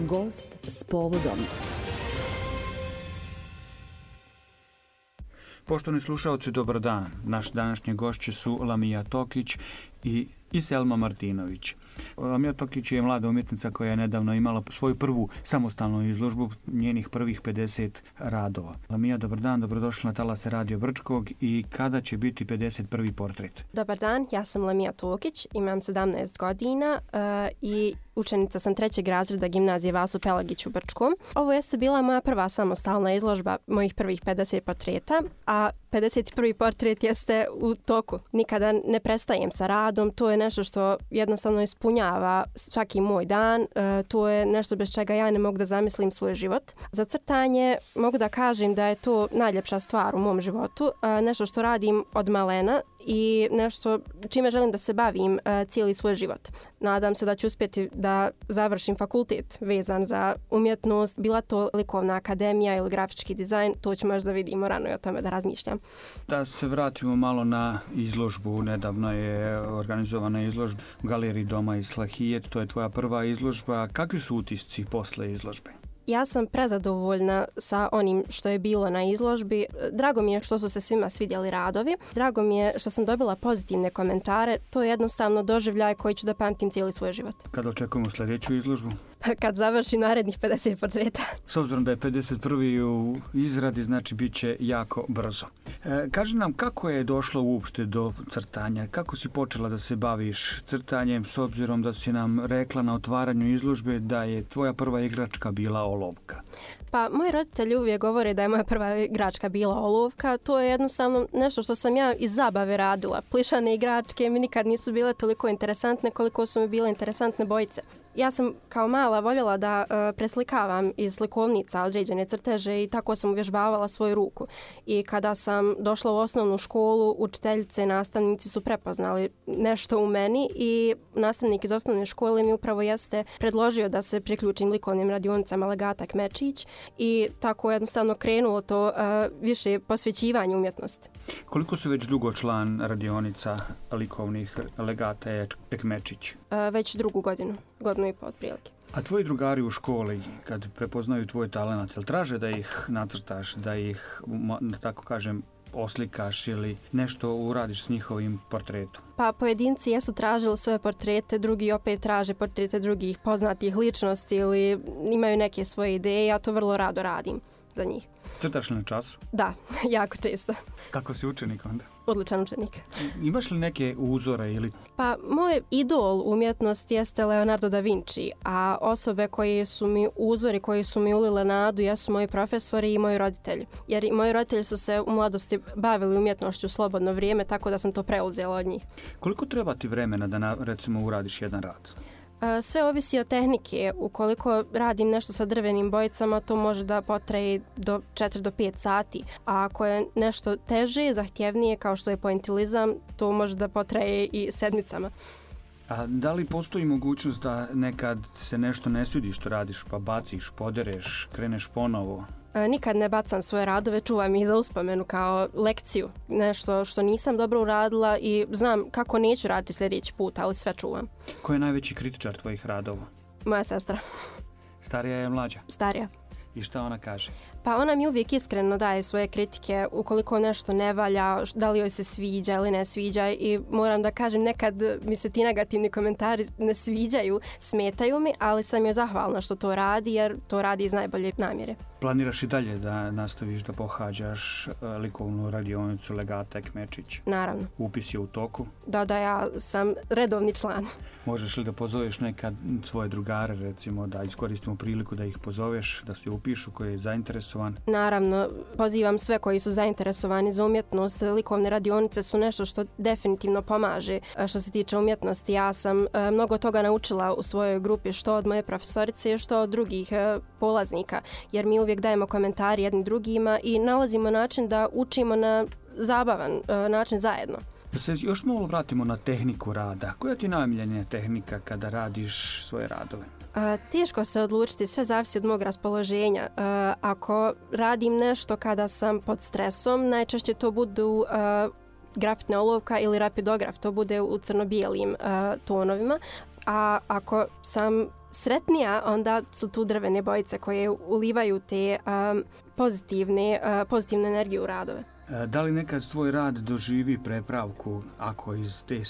Gost s povodom. Poštovani slušaoci, dobar dan. Naš današnji gošće su Lamija Tokić i Selma Martinović. Lamija Tokić je mlada umjetnica koja je nedavno imala svoju prvu samostalnu izložbu, njenih prvih 50 radova. Lamija, dobar dan, dobrodošla na talase Radio Brčkog i kada će biti 51. portret? Dobar dan, ja sam Lamija Tokić, imam 17 godina i učenica sam 3. razreda gimnazije Vaso Pelagić u Brčkom. Ovo jeste bila moja prva samostalna izložba mojih prvih 50 portreta, a 51. portret jeste u toku. Nikada ne prestajem sa radom, to je nešto što jednostavno ispunjava svaki moj dan, to je nešto bez čega ja ne mogu da zamislim svoj život. Za crtanje mogu da kažem da je to najljepša stvar u mom životu, nešto što radim od malena i nešto čime želim da se bavim cijeli svoj život. Nadam se da ću uspjeti da završim fakultet vezan za umjetnost, bila to likovna akademija ili grafički dizajn, to ćemo još da vidimo rano i o tome da razmišljam. Da se vratimo malo na izložbu. Nedavno je organizovana izložba u Galeriji Doma Islahijet, to je tvoja prva izložba. Kakvi su utisci posle izložbe? Ja sam prezadovoljna sa onim što je bilo na izložbi. Drago mi je što su se svima svidjeli radovi. Drago mi je što sam dobila pozitivne komentare. To je jednostavno doživljaj koji ću da pamtim cijeli svoj život. Kada očekujemo sljedeću izložbu? Kad završim narednih 50 portreta. S obzirom da je 51. u izradi, znači bit će jako brzo. Kaži nam kako je došlo uopšte do crtanja? Kako si počela da se baviš crtanjem s obzirom da si nam rekla na otvaranju izložbe da je tvoja prva igračka bila olovka? Pa, moji roditelji uvijek govore da je moja prva igračka bila olovka. To je jednostavno nešto što sam ja iz zabave radila. Plišane igračke mi nikad nisu bile toliko interesantne koliko su mi bile interesantne bojice. Ja sam kao mala voljela da preslikavam iz slikovnica određene crteže i tako sam uvježbavala svoju ruku. I kada sam došla u osnovnu školu, učiteljice i nastavnici su prepoznali nešto u meni i nastavnik iz osnovne škole mi upravo jeste predložio da se priključim likovnim radionicama Legata Kmečić i tako jednostavno krenulo to više posvećivanje umjetnosti. Koliko su već dugo član radionica likovnih Legata Kmečić? Već drugu godinu i po otprilike. A tvoji drugari u školi, kad prepoznaju tvoj talent, jel traže da ih nacrtaš, da ih, da tako kažem, oslikaš ili nešto uradiš s njihovim portretom? Pa pojedinci jesu tražili svoje portrete, drugi opet traže portrete drugih poznatih ličnosti ili imaju neke svoje ideje, ja to vrlo rado radim za njih. Crtaš li na času? Da, jako često. Kako si učenik onda? Odličan učenik. Imaš li neke uzore ili... Pa, moj idol umjetnosti jeste Leonardo da Vinci, a osobe koje su mi uzori, koji su mi ulile nadu, jesu moji profesori i moji roditelji. Jer i moji roditelji su se u mladosti bavili umjetnošću u slobodno vrijeme, tako da sam to preuzela od njih. Koliko treba ti vremena da, recimo, uradiš jedan rad? Sve ovisi od tehnike. Ukoliko radim nešto sa drvenim bojicama, to može da potraje do 4 do 5 sati. A ako je nešto teže, zahtjevnije, kao što je pointilizam, to može da potraje i sedmicama. A da li postoji mogućnost da nekad se nešto ne svidi što radiš, pa baciš, podereš, kreneš ponovo? Nikad ne bacam svoje radove, čuvam ih za uspomenu kao lekciju. Nešto što nisam dobro uradila i znam kako neću raditi sljedeći put, ali sve čuvam. Ko je najveći kritičar tvojih radova? Moja sestra. Starija je mlađa? Starija. I šta ona kaže? Pa ona mi uvijek iskreno daje svoje kritike ukoliko nešto ne valja, da li joj se sviđa ili ne sviđa i moram da kažem nekad mi se ti negativni komentari ne sviđaju, smetaju mi, ali sam joj zahvalna što to radi jer to radi iz najbolje namjere. Planiraš i dalje da nastaviš da pohađaš likovnu radionicu Legata Kmečić? Naravno. Upis je u toku? Da, ja sam redovni član. Možeš li da pozoveš nekad svoje drugare, recimo, da iskoristimo priliku da ih pozoveš, da se upišu, koji je zainteresovan? Naravno, pozivam sve koji su zainteresovani za umjetnost. Likovne radionice su nešto što definitivno pomaže što se tiče umjetnosti. Ja sam mnogo toga naučila u svojoj grupi, što od moje profesorice, što od drugih polaznika, jer mi uvijek dajemo komentari jednim drugima i nalazimo način da učimo na zabavan način zajedno. Da se još malo vratimo na tehniku rada. Koja ti je najomiljenija tehnika kada radiš svoje radove? Teško se odlučiti, sve zavisi od mog raspoloženja. Ako radim nešto kada sam pod stresom, najčešće to budu grafitna olovka ili rapidograf, to bude u crno-bijelim tonovima. A ako sam sretnija, onda su tu drvene bojice koje ulivaju te pozitivnu energiju u radove. Da li nekad tvoj rad doživi prepravku ako iz te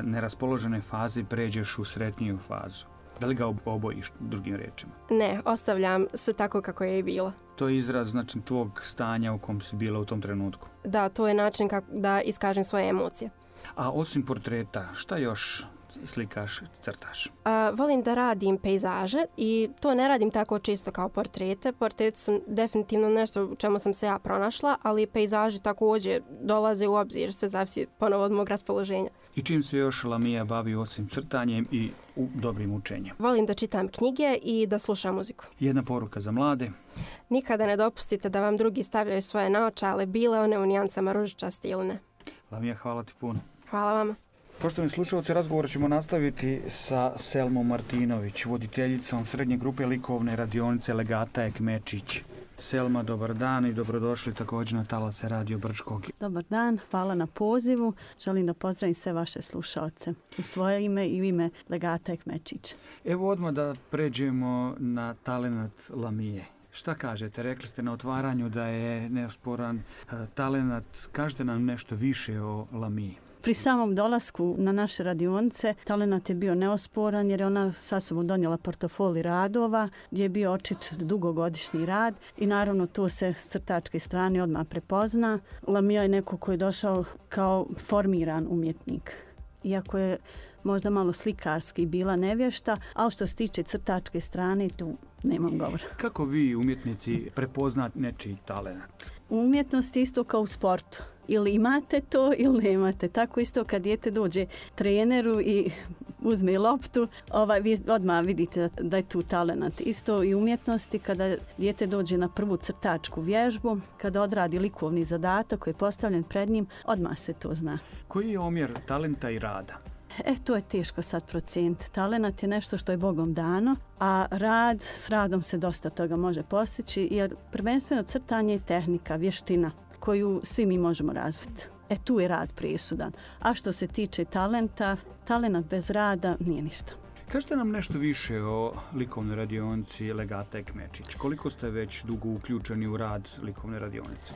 neraspoložene faze pređeš u sretniju fazu? Da li ga obojiš, drugim rečima? Ne, ostavljam sve tako kako je i bilo. To je izraz znači, tvog stanja u kom si bila u tom trenutku? Da, to je način kako da iskažem svoje emocije. A osim portreta, šta još slikaš, crtaš? Volim da radim pejzaže i to ne radim tako često kao portrete. Portreti su definitivno nešto u čemu sam se ja pronašla, ali pejzaži također dolaze u obzir, sve zavisi ponovo od mog raspoloženja. I čim se još Lamija bavi osim crtanjem i dobrim učenjem? Volim da čitam knjige i da slušam muziku. Jedna poruka za mlade? Nikada ne dopustite da vam drugi stavljaju svoje naočale, bile one u nijansama ružičasti ili ne. Lamija, hvala ti puno. Hvala vama. Poštovani slušalci, razgovor ćemo nastaviti sa Selmom Martinović, voditeljicom srednje grupe likovne radionice Legata Ekmečić. Selma, dobar dan i dobrodošli također na talase Radio Brčkog. Dobar dan, hvala na pozivu. Želim da pozdravim sve vaše slušalce u svoje ime i u ime Legata Ekmečić. Evo odmah da pređemo na talenat Lamije. Šta kažete? Rekli ste na otvaranju da je neosporan talenat. Kažete nam nešto više o Lamiji. Pri samom dolasku na naše radionice talenat je bio neosporan jer je ona sa sobom donijela portofoli radova gdje je bio očit dugogodišnji rad i naravno to se s crtačke strane odmah prepozna. Lamija je neko koji je došao kao formiran umjetnik. Iako je možda malo slikarski bila nevješta, ali što se tiče crtačke strane tu nemam govora. Kako vi umjetnici prepoznate nečiji talenat? U umjetnosti isto kao u sportu. Ili imate to ili nemate. Tako isto kad dijete dođe treneru i uzme loptu, vi odmah vidite da je tu talenat. Isto i umjetnosti kada dijete dođe na prvu crtačku vježbu, kada odradi likovni zadatak koji je postavljen pred njim, odmah se to zna. Koji je omjer talenta i rada? To je teško sad procijeniti. Talenat je nešto što je Bogom dano, a s radom se dosta toga može postići, jer prvenstveno crtanje je tehnika, vještina koju svi mi možemo razviti. Tu je rad presudan. A što se tiče talenta, talenat bez rada nije ništa. Kažete nam nešto više o likovnoj radionici Legata Ekmečić. Koliko ste već dugo uključeni u rad likovne radionice?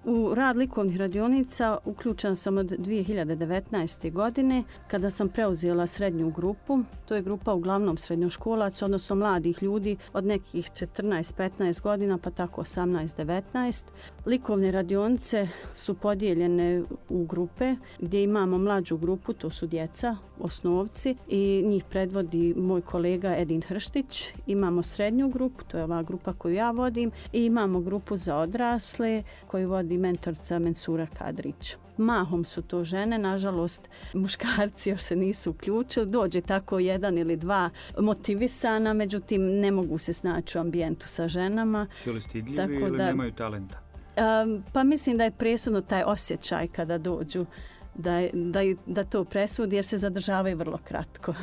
U rad likovnih radionica uključena sam od 2019. godine kada sam preuzela srednju grupu. To je grupa uglavnom srednjoškolaca, odnosno mladih ljudi od nekih 14-15 godina pa tako 18-19. Likovne radionice su podijeljene u grupe gdje imamo mlađu grupu, to su djeca, osnovci i njih predvodi moj kolega Edin Hrštić. Imamo srednju grupu, to je ova grupa koju ja vodim i imamo grupu za odrasle koju vodi mentorica Mensura Kadrić. Mahom su to žene, nažalost muškarci još se nisu uključili, dođe tako jedan ili dva motivisana, međutim ne mogu se snaći u ambijentu sa ženama. Su li stidljivi ili nemaju talenta? Pa mislim da je presudno taj osjećaj kada dođu da to presudi jer se zadržavaju vrlo kratko.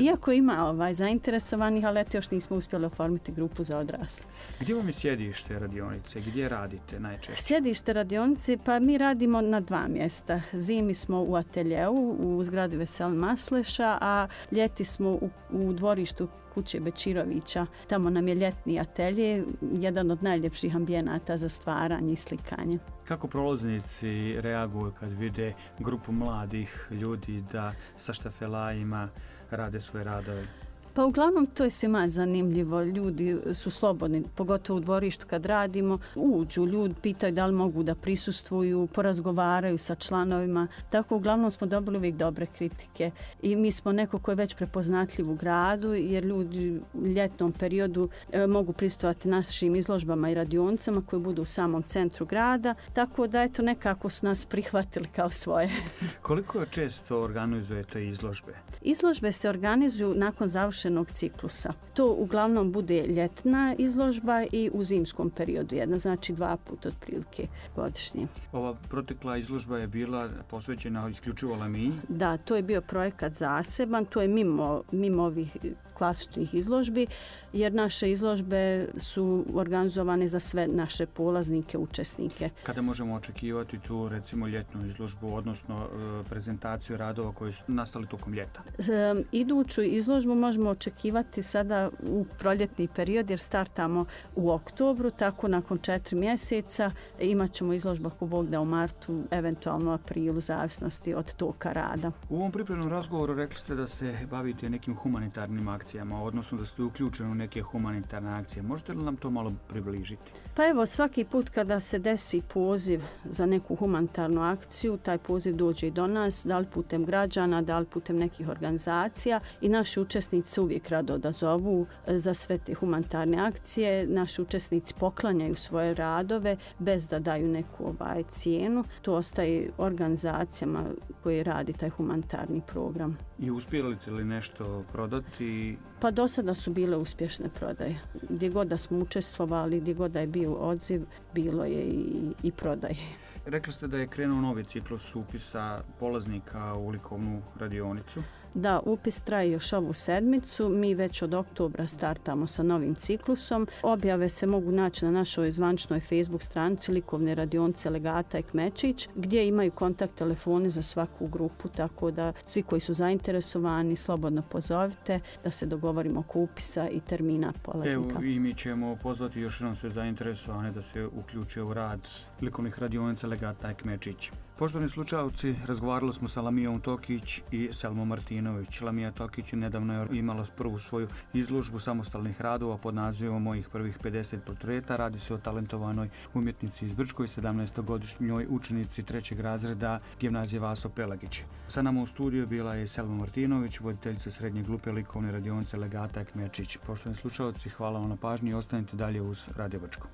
Iako ima zainteresovanih, ali još nismo uspjeli oformiti grupu za odrasle. Gdje vam je sjedište radionice? Gdje radite najčešće? Sjedište radionice, pa mi radimo na 2 mjesta. Zimi smo u ateljeu u zgradi Veselin Masleša, a ljeti smo u dvorištu kuće Bečirovića. Tamo nam je ljetni atelje, jedan od najljepših ambijenata za stvaranje i slikanje. Kako prolaznici reaguju kad vide grupu mladih ljudi da sa štafelajima rade svoje radove? Pa uglavnom to je svima zanimljivo. Ljudi su slobodni, pogotovo u dvorištu kad radimo. Uđu, ljudi pitaju da li mogu da prisustvuju, porazgovaraju sa članovima. Tako uglavnom smo dobili uvijek dobre kritike. I mi smo neko ko je već prepoznatljiv u gradu jer ljudi u ljetnom periodu mogu prisustvovati našim izložbama i radionicama koje budu u samom centru grada. Tako da nekako su nas prihvatili kao svoje. Koliko često organizujete izložbe? Izložbe se organizuju nakon završenog ciklusa. To uglavnom bude ljetna izložba i u zimskom periodu jedna, znači 2 puta otprilike godišnje. Ova protekla izložba je bila posvećena isključivo Lamiji? Da, to je bio projekat zaseban, to je mimo ovih klasičnih izložbi, jer naše izložbe su organizovane za sve naše polaznike, učesnike. Kada možemo očekivati tu recimo ljetnu izložbu, odnosno prezentaciju radova koji su nastali tokom ljeta? Iduću izložbu možemo očekivati sada u proljetni period jer startamo u oktobru, tako nakon 4 mjeseca imat ćemo izložbu ako Bog da u martu, eventualno aprilu, zavisnosti od toka rada. U ovom pripremnom razgovoru rekli ste da se bavite nekim humanitarnim akcijama, odnosno da ste uključeni u neke humanitarne akcije. Možete li nam to malo približiti? Pa evo, svaki put kada se desi poziv za neku humanitarnu akciju, taj poziv dođe i do nas, da li putem građana, da li putem nekih organizacija i naši učesnici se uvijek rado odazovu za sve te humanitarne akcije. Naši učesnici poklanjaju svoje radove bez da daju neku cijenu. To ostaje organizacijama koje radi taj humanitarni program. I uspjeli li nešto prodati? Pa do sada su bile uspješne prodaje. Gdje god da smo učestvovali, gdje god da je bio odziv, bilo je i prodaje. Rekli ste da je krenuo novi ciklus upisa polaznika u likovnu radionicu. Da, upis traje još ovu sedmicu. Mi već od oktobra startamo sa novim ciklusom. Objave se mogu naći na našoj zvaničnoj Facebook stranici Likovne radionice Legata i Kmečić, gdje imaju kontakt telefoni za svaku grupu, tako da svi koji su zainteresovani slobodno pozovite da se dogovorimo oko upisa i termina polaznika. Evo, i mi ćemo pozvati još jednom sve zainteresovane da se uključe u rad Likovnih radionica Legata i Kmečić. Poštovani slušalci, razgovarali smo sa Lamijom Tokić i Selmom Martinović. Lamija Tokić nedavno je imala prvu svoju izložbu samostalnih radova pod nazivom Mojih prvih 50 portreta. Radi se o talentovanoj umjetnici iz Brčkoj, 17-godišnjoj učenici 3. razreda Gimnazije Vaso Pelagić. Sa nama u studiju bila je Selma Martinović, voditeljica srednje grupe Likovne radionice Legata i Kmečić. Poštovani slušalci, hvala vam na pažnji i ostanite dalje uz Radio Brčko.